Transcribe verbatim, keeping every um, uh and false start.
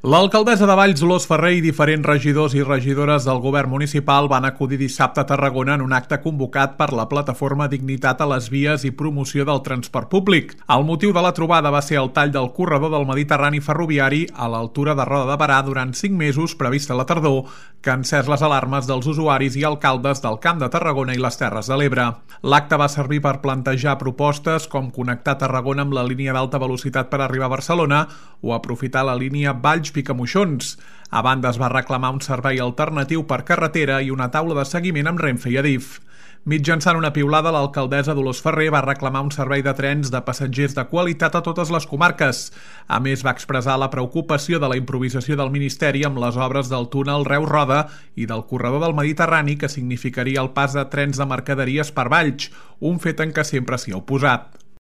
L'alcaldessa de Valls, Dolors Ferrer, i diferents regidors i regidores del govern municipal van acudir dissabte a Tarragona en un acte convocat per la plataforma Dignitat a les vies i promoció del transport públic. El motiu de la trobada va ser el tall del corredor del Mediterrani ferroviari a l'altura de Roda de Berà durant cinc mesos previst a la tardor, que ha encès les alarmes dels usuaris i alcaldes del Camp de Tarragona i les Terres de l'Ebre. L'acte va servir per plantejar propostes com connectar Tarragona amb la línia d'alta velocitat per arribar a Barcelona o aprofitar la línia Valls-Picamoixons. A banda, es va reclamar un servei alternatiu per carretera i una taula de seguiment amb Renfe i Adif. Mitjançant una piulada, l'alcaldessa Dolors Ferrer va reclamar un servei de trens de passatgers de qualitat a totes les comarques. A més, va expressar la preocupació de la improvisació del Ministeri amb les obres del túnel Reus-Roda i del corredor del Mediterrani, que significaria el pas de trens de mercaderies per Valls, un fet en què sempre s'hi ha oposat.